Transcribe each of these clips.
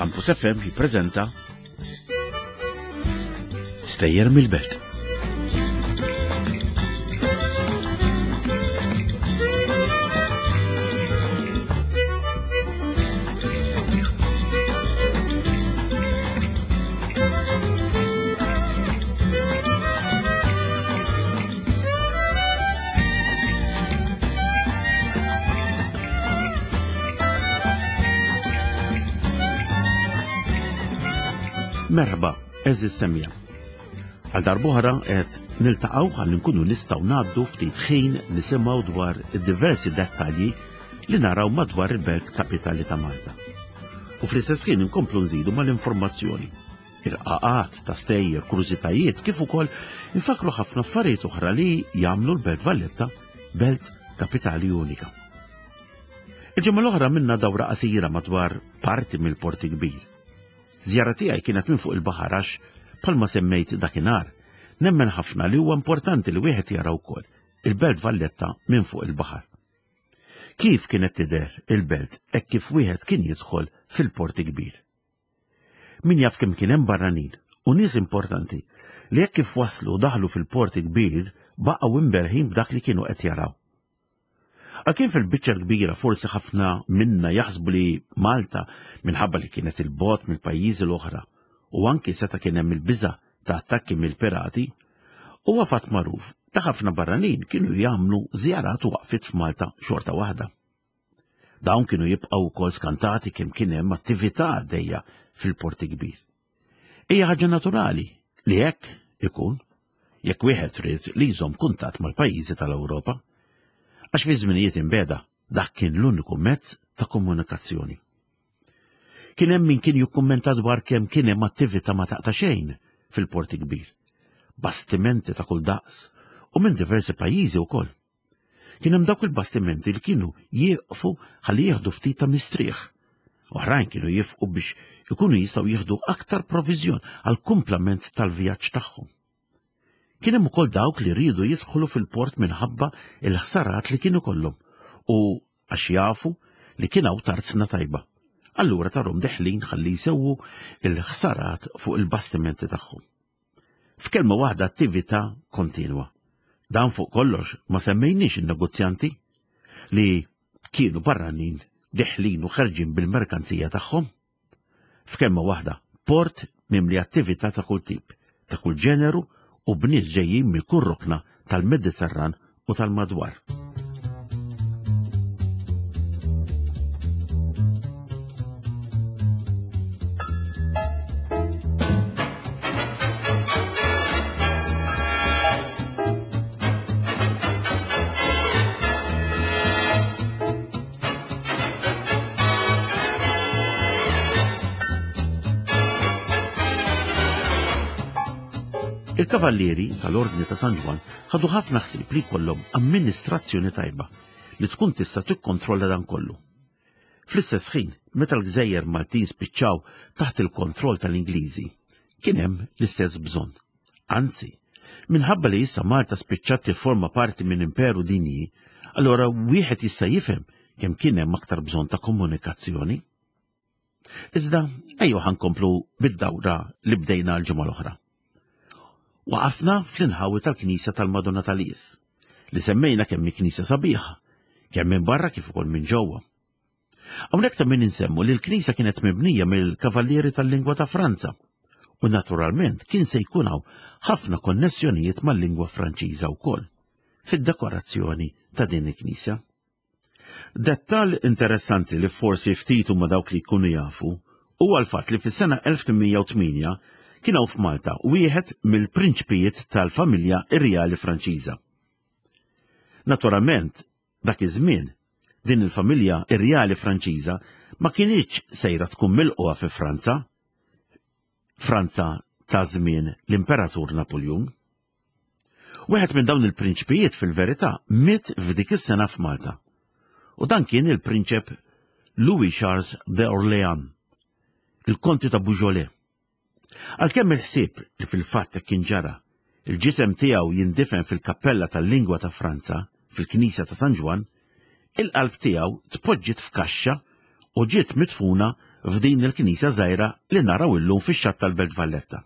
Campus FM jippreżenta Stejjer mill-Belt. Merħba, eżis semja. Għal darbohra qed niltaqgħu ħalli nkunu nistgħu ngħaddu ftit ħin nisimgħu dwar id-diversi dettalji li naraw madwar il-belt kapitali ta' Malta. U fl-istess ħin inkomplu nżidu mal-informazzjoni irqaqat ta' stejjer, kurżitajiet, kif ukoll infakru ħafna affarijiet oħra li jagħmlu l-Belt Valletta belt kapitali unika. Il-ġimgħa l-oħra minna dawra qasira madwar parti mill-Porti Kbir. Żjara tiegħi kienet minn fuq il-baħar għax bħalma semmejt dakinhar, nemmen ħafna li huwa importanti li wieħed jara wkoll il-Belt Valletta minn fuq il-baħar. Kif kienet tidher il-belt hekk kif wieħed kien jidħol fil-Porti Kbir? Min jaf kemm kien hemm barranin u nies importanti li hekk kif waslu u daħlu fil-port il-kbir baqgħu imberħin b'dak li kienu qed jaraw. Għalkemm fil-biċċa l-kbira forsi ħafna minna jaħsbu li Malta minħabba li kienet il-bogħod mill-pajjiżi l-oħra u anki seta' kien hemm il-biża' ta' attakki mill-pirati, huwa fatt magħruf li ħafna barranin kienu jagħmlu żjarat u waqfiet f'Malta xorta waħda. Dawn kienu jibqgħu wkoll skantati kemm kien hemm attività għaddejja fil-Port Kbir. Hija ħaġa naturali li hekk ikun jekk wieħed ried li jżomm kuntatt mal-pajjiżi tal-Ewropa. Għax fi żminijiet imbeda dak kien l-uniku mezz ta' komunikazzjoni. Kien hemm min kien jikkummenta dwar kemm kien hemm attività ma taqta' xejn fil-Port Kbir. Bastimenti ta' kull daqs u minn diversi pajjiżi wkoll. Kien hemm dawk il-bastimenti li kienu jieqfu ħalli jieħdu ftit ta' mistrieħ. Oħrajn kienu jifqu biex ikunu jistgħu jieħdu aktar proviżjon għal kumplament tal-vjaġġ tagħhom. Kien hemm ukoll dawk li riedu jidħlu fil-port minħabba il-ħsarat li kienu kollhom u għax jafu li kien hawn tarzna tajba. Allura tarhom deħlin ħalli jsewwu il-ħsarat fuq il-bastimenti tagħhom. F'kelma waħda attività kontinwa. Dan fuq kollox ma semmejniex in-negozjanti li kienu barranin deħlin u ħerġin bil-merkanzija tagħhom. F'kelma waħda, port mimli attività ta' kull tip, ta' kull ġeneru u b'nies ġejjin minn kull rokna tal-Mediterran u tal-madwar. Il-Kavallieri tal-Ordni ta' San Ġwann ħadu ħafna ħsieb li jkollhom amministrazzjoni tajba li tkun tista' tikkontrolla dan kollu. Fl-istess ħin, meta l-gżejjer Maltin spiċċaw taħt il-kontroll tal-Ingliżi, kien hemm l-istess bżonn. Anzi, minħabba li issa Malta spiċċat tifforma parti minn imperu dinji, allura wieħed jista' jifhem kemm kien hemm aktar bżonn ta' komunikazzjoni. Iżda, ejjew ħankomplu bid-dawra li bdejna l-ġimgħa l-oħra. Waqafna fl-inħawi tal-Knisja tal-Madonna tal-Is, li semmejna kemm hi knisja sabiħa, kemm minn barra kif ukoll minn ġewwa. Hawnhekk ta' min insemmu li l-knisja kienet mibnija mill-Kavallieri tal-Lingwa ta' Franza u naturalment kien se jkun hawn ħafna konnessjonijiet mal-lingwa Franċiża wkoll fid-dekorazzjoni ta' din il-knisja. Dettall interessanti li forsi ftit huma dawk li jkunu jafu huwa l-fatt li fis-sena 1808 kien hawn f'Malta wieħed mill-prinċpijiet tal-familja Irjali Franċiża. Naturalment, dak iż-żmien, din il-familja Irjali Franċiża ma kinitx sejra tkun milqugħa fi Franza, Franza ta' żmien l-Imperatur Napuljun. Wieħed minn dawn il-prinċpijiet fil-verità miet f'dik is-sena f'Malta. U dan kien il-prinċep Louis Charles de Orléans, il-Konti ta' Beaujolais. Għalkemm il-ħsieb li fil-fatt hekk kien ġara, il-ġisem tiegħu jindifen fil-kappella tal-lingwa ta' Franza, fil-Knisja ta' San Ġwann, il-qalb tiegħu tpoġġiet f'kaxxa u ġiet midfuna f'din il-knisja żgħira li naraw illum fix-xatt tal-Belt Valletta.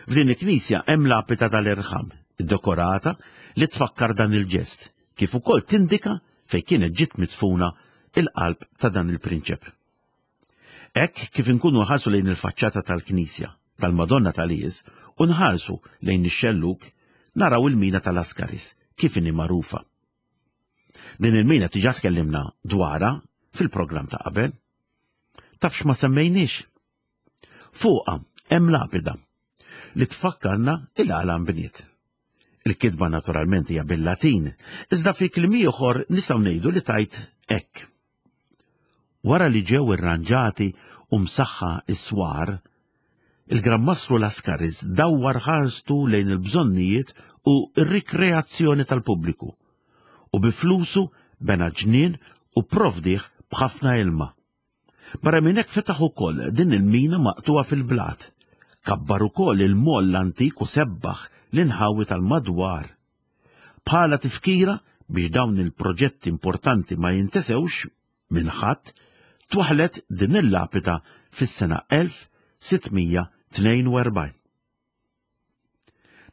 F'din il-knisja hemm lapida tal-irħam, iddekorata li tfakkar dan il-ġest, kif ukoll tindika fejn kienet ġiet midfuna il-qalb ta' dan il-prinċep. Hekk kif inkunu nħarsu lejn il-faċċata tal-knisja tal-Madonna tal-Ies u nħarsu lejn ix-xellug, naraw il-mina tal-Askaris kif inhi magħrufa. Din il-mina diġà tkellimna dwarha fil-programm ta' qabel. Taf x'ma semmejniex? Fuqha hemm lapida li tfakkarna il-għala nbniet. Il-kitba naturalment hija bil-Latin, iżda fi kliem ieħor nistgħu ngħidu li tajt hekk. Wara li ġew irranġati u msaħħa s-swar, il-Gran Mastru Lascaris dawwar ħarstu lejn il-bżonnijiet u r-rikreazzjoni tal-pubbliku u bi flusu bena ġnien u pprovdih b'ħafna ilma. Barra minn hekk fetaħ ukoll din il-mina maqtugħa fil-blat. Kabbar ukoll il-moll l-antik u sebbaħ l-inħawi tal-madwar. Bħala tifkira biex dawn il-proġetti importanti ma jintesewx minn ħadd, twaħħlet din il-lapida fis-sena 1642.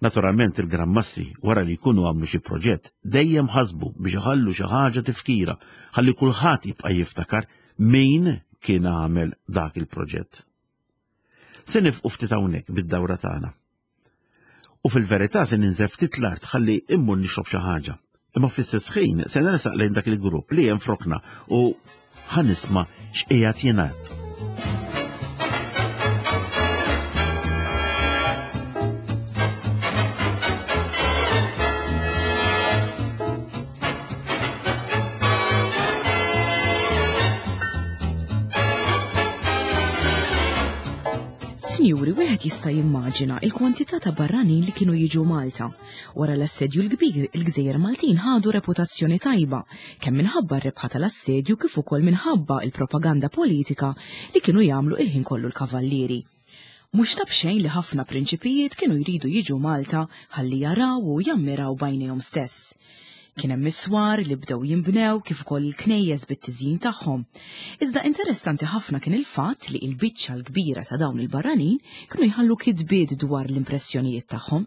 Naturalment il-Gran Mastri wara li jkunu għamlu xi proġett dejjem ħasbu biex iħallu xi ħaġa tifkira ħalli kulħadd jibqa' jiftakar min kien għamel dak il-proġett. Se nifqu ftit hawnhekk bid-dawra tagħna. U fil-verità se ninżel ftit l-art ħalli immur nixrob xi ħaġa. Imma fl-istess ħin se nersaq lejn dak il-grupp li hemm frokna u ħa nisma' x'qiegħed jingħad. Sinjuri, wieħed jista' jimmaġina il-kwantità ta' barranin li kienu jiġu Malta. Wara l-Assedju l-Kbir, il-gżejjer Maltin ħadu reputazzjoni tajba, kemm minħabba r-rebħa tal-assedju kif ukoll minħabba l-propaganda politika li kienu jagħmlu il-ħin kollu l-Kavallieri. Mhux ta' b'xejn li ħafna prinċipijiet kienu jridu jiġu Malta ħalli jaraw u jammiraw b'għajnejhom stess. Kien hemm is-swar li bdew jinbnew kif ukoll il-knejjes bit-tiżjin tagħhom. Iżda interessanti ħafna kien il-fatt li l-biċċa l-kbira ta' dawn il-barranin kienu jħallu kitbiet dwar l-impressjonijiet tagħhom.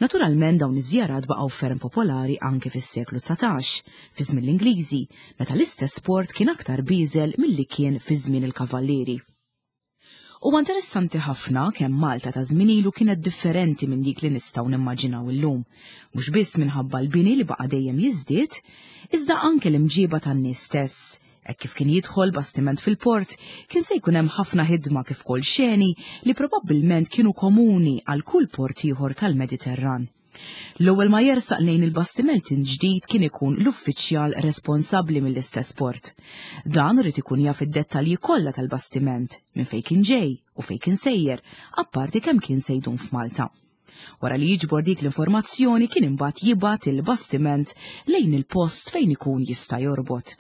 Naturalment dawn iż-żjarat baqgħu ferm popolari anke fis-seklu 19, fi żmien l-Ingliżi, meta l-istess port kien aktar bieżel milli kien fi żmien il-Kavallieri. Huwa interessanti ħafna kemm Malta ta' żmien ilu kienet differenti minn dik li nistgħu nimmaġinaw illum, mhux biss minħabba l-bini li baqa' dejjem jiżdied, iżda anke l-imġiba tan-nies stess. Hekk kif kien jidħol bastiment fil-port, kien se jkun hemm ħafna ħidma kif ukoll xeni li probabbilment kienu komuni għal kull port ieħor tal-Mediterran. L-ewwel ma jersaq lejn il-bastiment il-ġdid kien ikun l-uffiċjal responsabbli mill-istess port. Dan ried ikun jaf id-dettalji kollha tal-bastiment, minn fejn kien ġej u fejn kien sejjer, apparti kemm kien se jdum f'Malta. Wara li jiġbor dik l-informazzjoni kien imbagħad jibgħat il-bastiment lejn il-post fejn ikun jista' jorbot.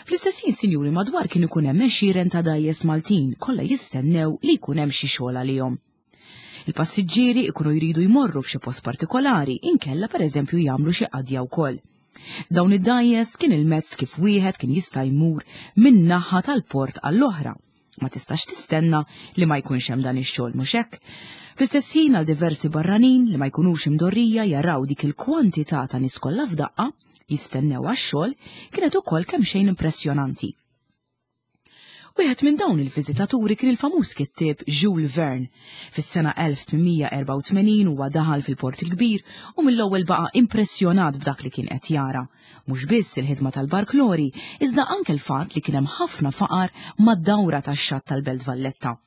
Fl-istess ħin, sinjuri, madwar kien ikun hemm għexieren ta' dgħajjes Maltin kollha jistennew li jkun hemm xi xogħol għalihom. Il-passiġġieri ikunu jridu jmorru f'xi post partikolari inkella pereżempju jagħmlu xi qadja wkoll. Dawn id-dgħajjes kien il-mezz kif wieħed kien jista' jmur minn naħa tal-port għall-oħra. Ma tistax tistenna li ma jkunx hemm dan ix-xogħol mhux hekk? Fl-istess ħin għal diversi barranin li ma jkunux imdorrija jaraw dik il-kwantità ta' nies kollha f'daqqa jistennew għax-xogħol kienet ukoll kemxejn impressjonanti. Wieħed minn dawn il-viżitaturi kien il-famuż kittieb Jules Verne. Fis-sena 1884 huwa daħal fil-Port il-Kbir u mill-ewwel baqa' impressjonat b'dak li kien qed jara. Mhux biss il-ħidma tal-barklori, iżda anke l-fatt li kien hemm ħafna faqar mad-dawra tax-xatt tal-Belt Valletta.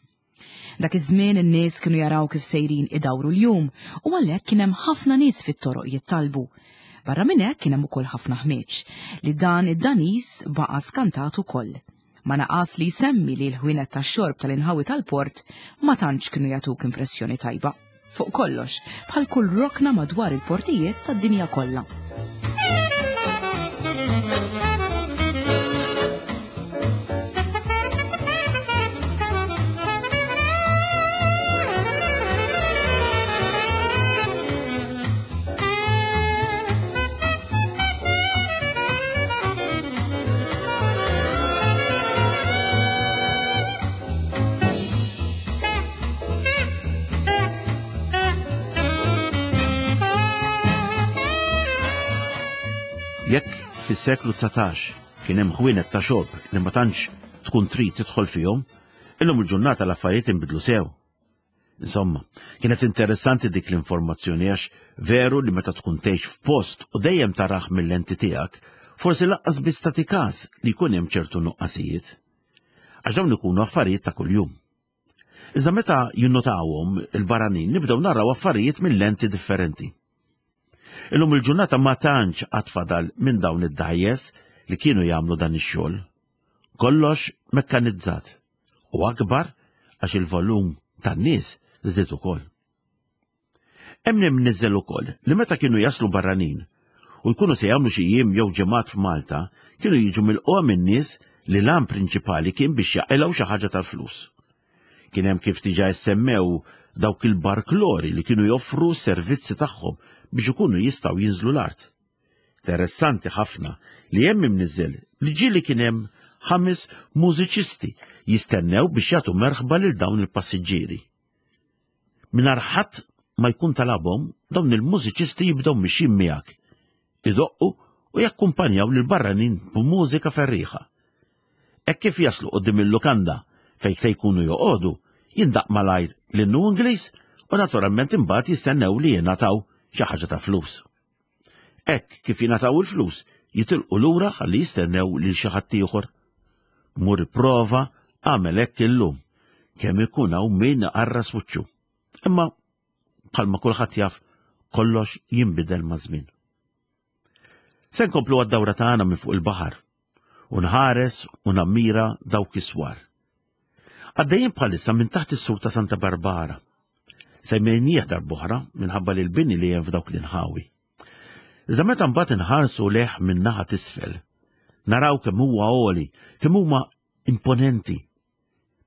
Dak iż-żmien in-nies kienu jaraw kif sejrin idawru l-jum u għalhekk kien hemm ħafna nies fit-toroq jittalbu. Barra minn hekk kien hemm ukoll ħafna ħmieġ, li dan id-Daniż baqa' skantat ukoll. Ma naqas li jsemmi li l-ħwienet tax-xorb tal-inħawi tal-port ma tantx kienu jagħtuk impressjoni tajba. Fuq kollox, bħal kull rokna madwar il-portijiet tad-dinja kollha. Jekk fis-seklu 19 kien hemm ħwienet ta' xorb li ma tantx tkun trid tidħol fihom, illum il-ġurnata l-affarijiet inbidlu sew. Insomma, kienet interessanti dik l-informazzjoni għax veru li meta tkun tgħix f'post u dejjem taraħ mill-lenti tiegħek, forsi laqqas biss tagħti każ li jkun hemm ċertu nuqqasijiet. Għax dawn ikunu affarijiet ta' kuljum. Iżda meta jinnotawhom il-barranin nibdew naraw affarijiet minn lenti differenti. Illum il-ġurnata ma tantx għad fadal minn dawn id-dgħajjes li kienu jagħmlu dan ix-xogħol. Kollox mekkanizzat u akbar għax il-volum tan-nies żdied ukoll. Hemm imniżżel ukoll li meta kienu jaslu barranin u jkunu se jagħmlu xi jiem jew ġimgħat f'Malta, kienu jiġu milqugħa minn nies li l-għan prinċipali kien biex jaqilgħu xi ħaġa tal-flus. Kien hemm kif diġà issemmew dawk il-barklori li kienu joffru s-servizzi tagħhom biex ikunu jistgħu jinżlu l-art. Interessanti ħafna li hemm imniżżel li ġieli kien hemm ħames mużiċisti jistennew biex jagħtu merħba lil dawn il-passiġġieri. Mingħajr ħadd ma jkun talabhom, dawn il-mużiċisti jibdew mixjin miegħek, idoqqu u jakkumpanjaw lil barranin b'mużika ferrieħa. Hekk kif jaslu quddiem il-lukanda fejn se jkunu joqogħdu, jindaqq malajr l-innu Ingliż u naturalment imbagħad jistennew li jingħataw xi ħaġa ta' flus. Hekk kif jingħataw il-flus, jitilqu lura ħalli jistennew lil xi ħadd ieħor. Mur ipprova agħmel hekk illum, kemm ikun hawn min iqarras wiċċu. Imma bħalma kulħadd jaf, kollox jinbidel maż-żmien. Se nkomplu għad-dawra tagħna minn fuq il-baħar u nħares u nammira dawk is-swar. Għaddejjin bħalissa minn taħt is-sur ta' Santa Barbara. Semmejnieh darb'oħra minħabba li l-bini li hemm f'dawk l-inħawi. Iżda meta mbagħad inħarsu leħ minn naħa t'isfel, naraw kemm huwa għoli, kemm huma imponenti.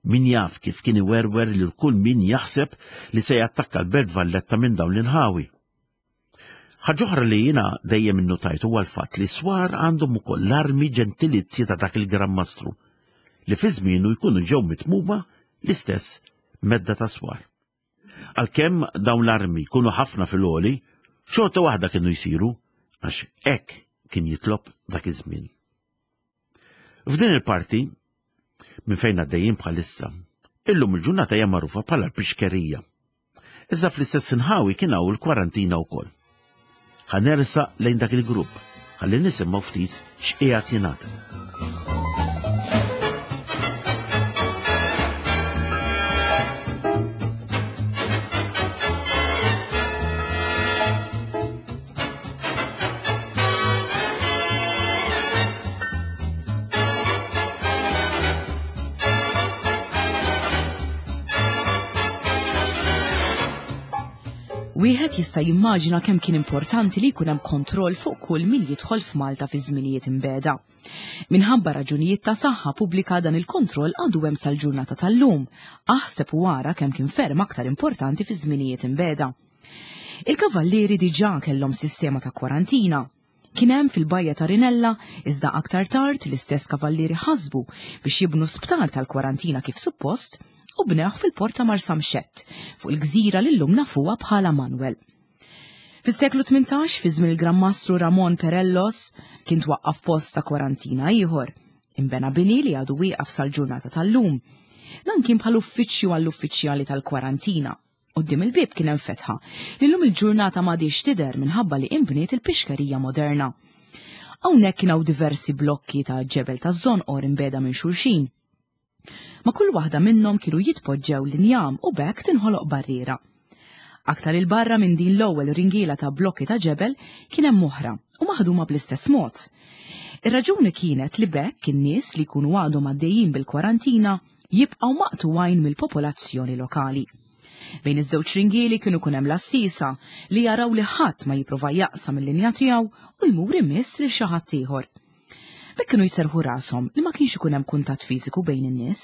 Min jaf kif kien iwerwer lil kull min jaħseb li se jattakka l-Belt Valletta minn dawn l-inħawi. Ħaġa oħra li jiena dejjem innutajt huwa l-fatt li swar għandhom ukoll l-armi ġentilizzi ta' dak il-Gran Mastru li fi żmienu jkunu ġew mitmuma l-istess medda ta' swar. Għalkemm dawn l-armi jkunu ħafna fil-għoli, xorta waħda kienu jsiru għax hekk kien jitlob dak iż-żmien. F'din il-parti, minn fejn għaddejjin bħalissa, illum il-ġurnata hija magħrufa bħala l-pixkerija. Iżda fl-istess inħawi kien hawn il-kwarantina wkoll. Ħa nersaq lejn dak il-grupp ħalli nisimgħu ftit x'qiegħed jingħad. Wieħed jista' jimmaġina kemm kien importanti li jkun hemm kontroll fuq kull min jidħol f'Malta fi żminijiet imbeda. Minħabba raġunijiet ta' saħħa pubblika dan il-kontroll għadu hemm sal-ġurnata tal-lum. Aħseb u ara kemm kien ferm aktar importanti fi żminijiet imbeda. Il-Kavallieri diġà kellhom sistema ta' kwarantina. Kien hemm fil-bajja ta' Rinella, iżda aktar tard l-istess Kavallieri ħasbu biex jibnu sptar tal-kwarantina kif suppost u bnewh fil-port ta' Marsamxett, fuq il-gżira li llum nafuha bħala Manwel. Fis-seklu 18, fi żmien il-Gran Mastru Ramon Perellos, kien twaqqaf post ta' kwarantina ieħor. Inbena bini li għadu wieqaf sal-ġurnata tal-lum. Dan kien bħal uffiċċju għall-uffiċjali tal-kwarantina. Quddiem il-bieb kien hemm fetħa li llum il-ġurnata m'għadhiex tidher minħabba li inbniet il-pixkerija moderna. Hawnhekk kien hawn diversi blokki ta' ġebel taż-żonqor imbegħda minn xulxin. Ma' kull waħda minnhom kienu jitpoġġew l-injam u b'hekk tinħoloq barriera. Aktar 'il barra minn din l-ewwel ringiela ta' blokki ta' ġebel kien hemm oħra u maħduma bl-istess mod. Ir-raġuni kienet li b'hekk in-nies li jkunu għadhom għaddejjin bil-kwarantina jibqgħu maqtugħin mill-popolazzjoni lokali. Bejn iż-żewġ ringieli kienu kun hemm l-għassiesa li jaraw li ħadd ma jipprova jaqsam il-linja tiegħu u jmur imiss lil xi ħadd ieħor. B'hekk kienu jserrħu rashom li ma kienx ikun hemm kuntatt fiżiku bejn in-nies.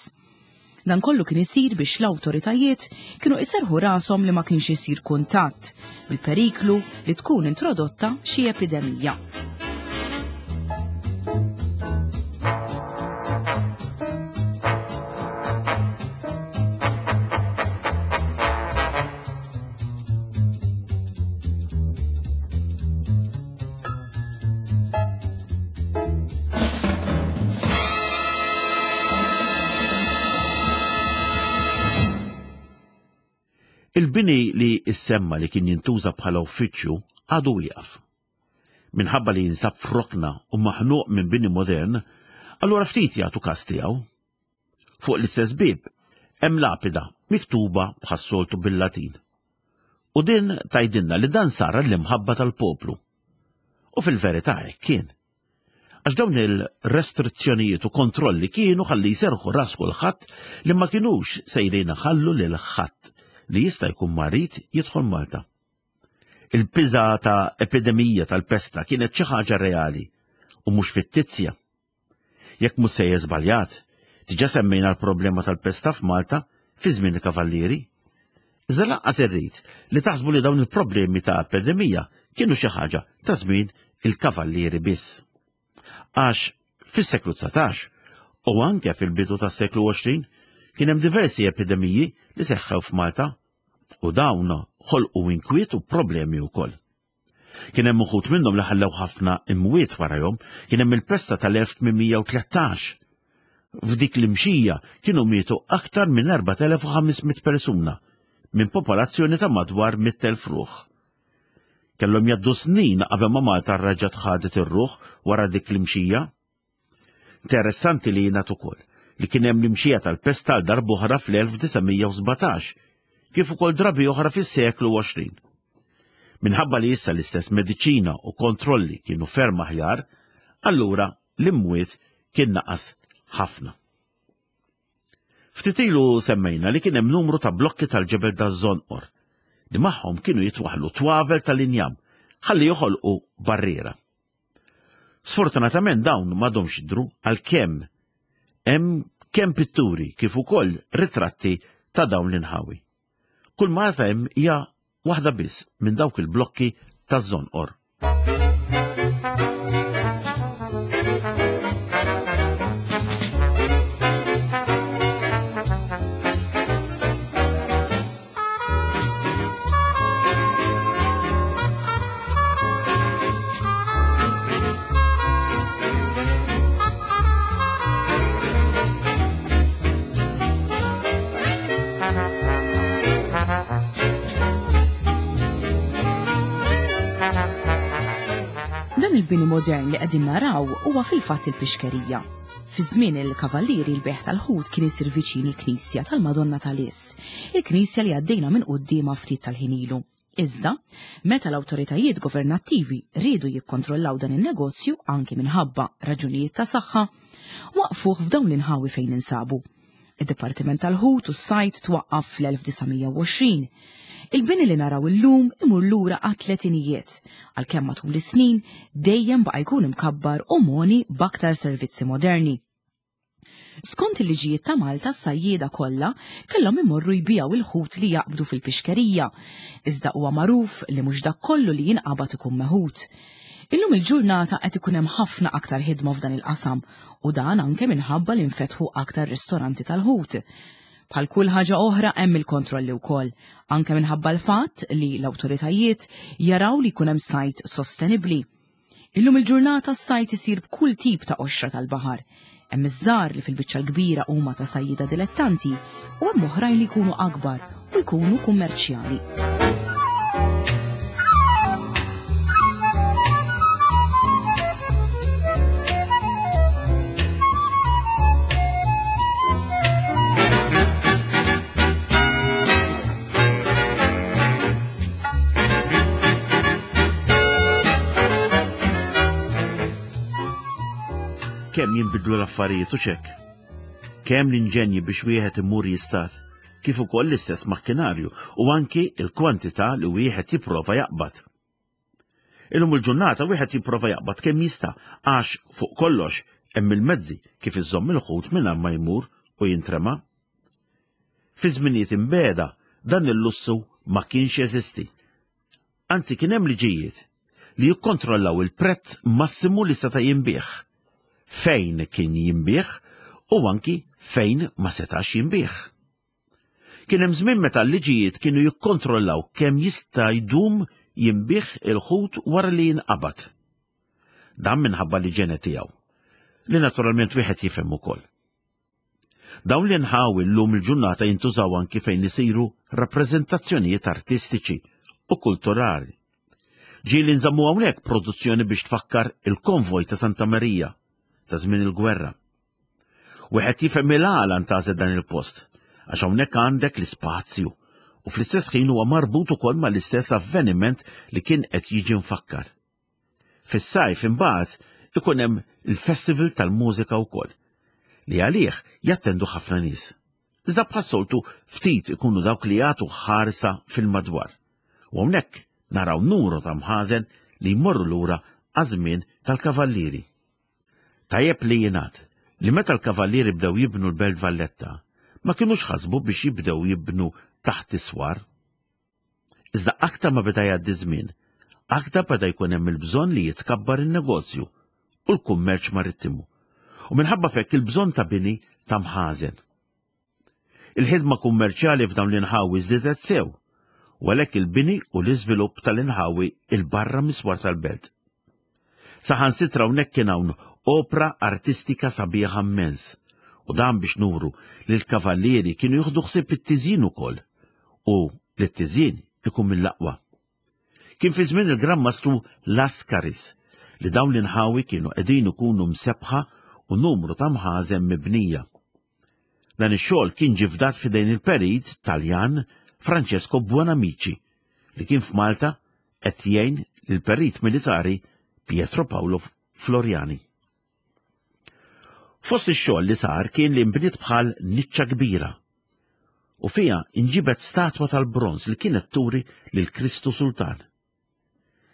Dan kollu kien isir biex l-awtoritajiet kienu iserrħu rashom li ma kienx isir kuntatt bil-periklu li tkun introdotta xi epidemija. Il-bini li issemma li kien jintuża bħala uffiċċju għadu wieqaf. Minħabba li jinsab f'rokna u maħnuq minn bini modern, allura ftit jagħtu każ tiegħu. Fuq l-istess bieb hemm lapida miktuba bħas-soltu bil-Latin. U din tgħidilna li dan sar għall-imħabba tal-poplu. U fil-verità hekk kien. Għax dawn il-restrizzjonijiet u kontrolli kienu ħalli jserħu ras kulħadd li ma kinux sejrin iħallu lil ħadd li jista' jkun marid jidħol Malta. Il-biża ta' epidemija tal-pesta kienet xi ħaġa reali u mhux fittizja. Jekk mhux sejjer żbaljat, diġà semmejna l-problema tal-pesta f'Malta fi żmien il-Kavallieri. Iżda lanqas irrid li taħsbu li dawn il-problemi ta' epidemija kienu xi ħaġa ta' żmien il-Kavallieri biss. Għax fis-seklu 19 u anke fil-bidu tas-seklu 20 kien hemm diversi epidemiji li seħħew f'Malta u dawn ħolqu inkwiet u problemi wkoll. Kien hemm uħud minnhom li ħallew ħafna imwiet warajhom, kien hemm il-pesta tal-1813. F'dik l-imxija kienu mietu aktar minn 4500 persuna minn popolazzjoni ta' madwar 100,000 ruħ. Kellhom jgħaddu snin qabel ma Malta reġgħet ħadet ir-ruħ wara dik l-imxija. Interessanti li jingħad ukoll li kien hemm l-imxija tal-pesta għal darb'oħra fl-1917, kif ukoll drabi oħra fis-seklu 20. Minħabba li issa l-istess mediċina u kontrolli kienu ferm aħjar, allura l-imwiet kien naqas ħafna. Ftit ilu semmejna li kien hemm numru ta' blokki tal-ġebel daż-żonqor li magħhom kienu jitwaħħlu twavel tal-injam ħalli joħolqu barriera. Sfortunatament dawn m'għadhomx jidhru għalkemm hemm kemm pitturi kif ukoll ritratti ta' dawn l-inħawi. Kull ma hemm hija waħda biss minn dawk il-blokki taż-żonqor. Dan il-bini modern li qegħdin naraw huwa fil-fatt il-pixkerija. Fi żmien il-Kavallieri l-bejgħ tal-ħut kien isir viċin il-knisja tal-Madonna tal-Is, il-knisja li għaddejna minn quddiemha ftit tal-ħin ilu. Iżda, meta l-awtoritajiet governattivi riedu jikkontrollaw dan in-negozju anki minħabba raġunijiet ta' saħħa, waqqfuh f'dawn l-inħawi fejn ninsabu. Id-Dipartiment tal-Ħut u s-Sajd twaqqaf fl-1920. Il-bini li naraw illum imur lura għat-tletinijiet, għalkemm matul is-snin dejjem baqa' jkun imkabbar u mogħni b'aktar servizzi moderni. Skont il-liġijiet ta' Malta s-sajjieda kollha kellhom imorru jbigħu il-ħut li jaqbdu fil-pixkerija. Iżda huwa magħruf li mhux dak kollu li jinqabad ikun meħud. Illum il-ġurnata qed ikun hemm ħafna aktar ħidma f'dan il-qasam u dan anke minħabba li nfetħu aktar ristoranti tal-ħut. Bħal kull ħaġa oħra hemm il-kontrolli wkoll, anke minħabba l-fatt li l-awtoritajiet jaraw li jkun hemm sajd sostenibbli. Illum il-ġurnata s-sajd isir b'kull tip ta' qoxra tal-baħar. Hemm iż-żgħar li fil-biċċa l-kbira huma ta' sajjieda dilettanti u hemm oħrajn li jkunu akbar u jkunu kummerċjali. Kemm jinbidlu l-affarijiet u xek. Kemm l-inġenji biex wieħed imur jistat, kif ukoll l-istess makkinarju u anki il-kwantità li wieħed jipprova jaqbad. Illum il-ġurnata wieħed jipprova jaqbad kemm jista' għax fuq kollox hemm il-mezzi kif iżomm il-ħut mingħajr ma jmur u jintrema. Fi żminijiet imbiegħda dan il-lussu ma kienx jeżisti. Anzi kien hemm liġijiet li jikkontrollaw il-prezz massimu li seta' jinbiegħ, fejn kien jinbiegħ u anki fejn ma setax jinbiegħ. Kien hemm żmien meta l-liġijiet kienu jikkontrollaw kemm jista' jdum jinbiegħ il-ħut wara li jinqabad. Dan minħabba l-iġene tiegħu, li naturalment wieħed jifhem ukoll. Dawn l-inħawi llum il-ġurnata jintużaw anki fejn isiru rappreżentazzjonijiet artistiċi u kulturali. Ġieli nżammu hawnhekk produzzjoni biex tfakkar il-konvoj ta' Santa Marija ta' żmien il-gwerra. Wieħed jifhem il-għala ntgħażel dan il-post, għax hawnhekk għandek l-ispazju u fl-istess ħin huwa marbut ukoll mal-istess avveniment li kien qed jiġi mfakkar. Fis-sajf imbagħad ikun hemm il-Festival tal-Mużika wkoll, li għalih jattendu ħafna nies. Iżda bħas-soltu ftit ikunu dawk li jagħtu ħarsa fil-madwar. U hawnhekk naraw numru ta' mħażen li jmorru lura għaż-żmien tal-Kavallieri. Tajjeb li jingħad li meta l-Kavallieri bdew jibnu l-Belt Valletta, ma kinux ħasbu biex jibdew jibnu taħt is-swar. Iżda aktar ma beda jgħaddi żmien, aktar beda jkun hemm il-bżonn li jitkabbar in-negozju u l-kummerċ marittimu, u minħabba f'hekk il-bżonn ta' bini ta' mħażen. Il-ħidma kummerċjali f'dawn l-inħawi żdiedet sew, u għalhekk il-bini u l-iżvilupp tal-inħawi 'il barra mis-swar tal-belt. Saħansitra hawnhekk kien hawn opra artistika sabiħa mmens, u dan biex nuru li l-kavallieri kienu jieħdu ħsieb it-tiżjin ukoll, u li t-tiżjin ikun mill-aqwa. Kien fi żmien il-Gran Mastru Lascaris li dawn l-inħawi kienu qegħdin ikunu msebbħa u numru ta' mħażen mibnija. Dan ix-xogħol kien ġie fdat f'idejn il-perit Taljan Francesco Buonamici li kien f'Malta qed jgħin lill-perit militari Pietro Paolo Floriani. Fost ix-xogħol li sar kien li nbniet bħal niċċa kbira u fiha inġibet statwa tal-bronż li kienet turi lil Kristu Sultan.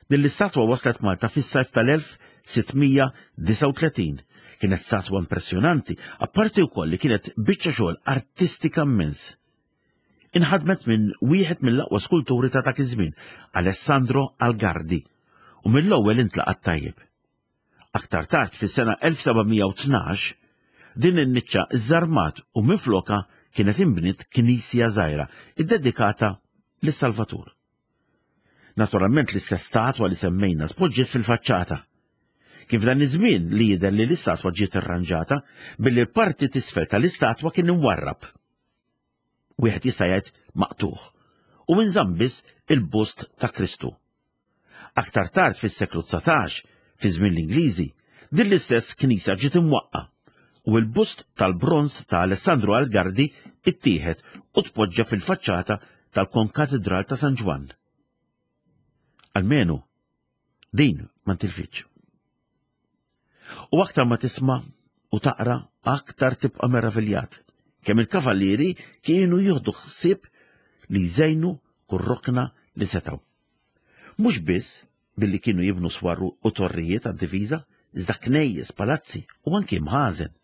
Din l-istatwa waslet Malta fis-sajf tal-1639. Kienet statwa impressjonanti, apparti wkoll li kienet biċċa xogħol artistika immens. Inħadmet minn wieħed mill-aqwa skulturi ta' dak iż-żmien, Alessandro Algardi, u mill-ewwel intlaqat tajjeb. Aktar tard fis-sena 1712, din in-niċċa żżarmat u minflokha kienet inbniet knisja żgħira iddedikata lis-Salvatur. Naturalment l-istess statwa li semmejna tpoġġiet fil-faċċata. Kien f'dan iż-żmien li jidher li l-istatwa ġiet irranġata billi l-parti t'isfel tal-istatwa kien imwarrab. Wieħed jista' jgħid maqtugħ u inżamm biss il-bust ta' Kristu. Aktar tard fis-seklu 19, fi żmien l-Ingliżi, din l-istess knisja ġiet imwaqqa' u l-bust tal-bronż ta' Alessandro Algardi ittieħed u tpoġġa fil-faċċata tal-Konkatidral ta' San Ġwann. Almenu, din ma ntilfitx. U aktar ma tisma' u taqra aktar tibqa' meraviljat kemm il-kavallieri kienu jieħdu ħsieb li jżejnu kull rokna li setgħu. Mhux biss billi kienu jibnu swar u torrijiet għad-difiża, iżda knejjes, palazzi u anki mħażen.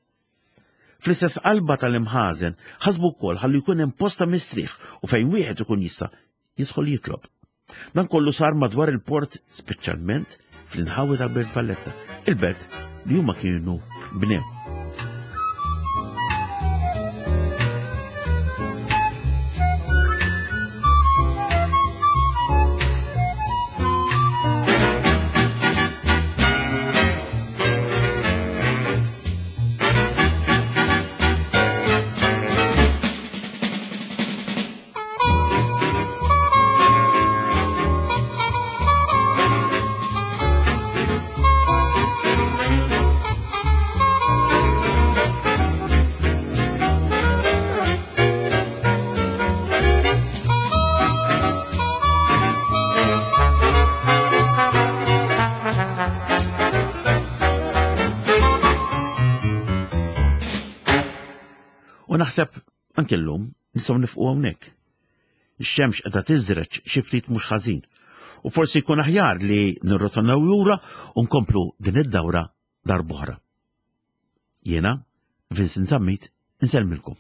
Fl-istess qalba tal-imħażen ħasbu wkoll ħalli jkun hemm post ta' mistrieħ u fejn wieħed ikun jista' jidħol jitlob. Dan kollu sar madwar il-port speċjalment fl-inħawi tal-Belt Valletta, il-belt li huma kienu bnew. U naħseb anke llum nistgħu nifqu hawnhekk. Ix-xemx qiegħda tiżreġ xi ftit mhux ħażin. U forsi jkun aħjar li nirrotonnaw lura u nkomplu din id-dawra darb'oħra. Jiena, Vincent Zammit, insellmilkom.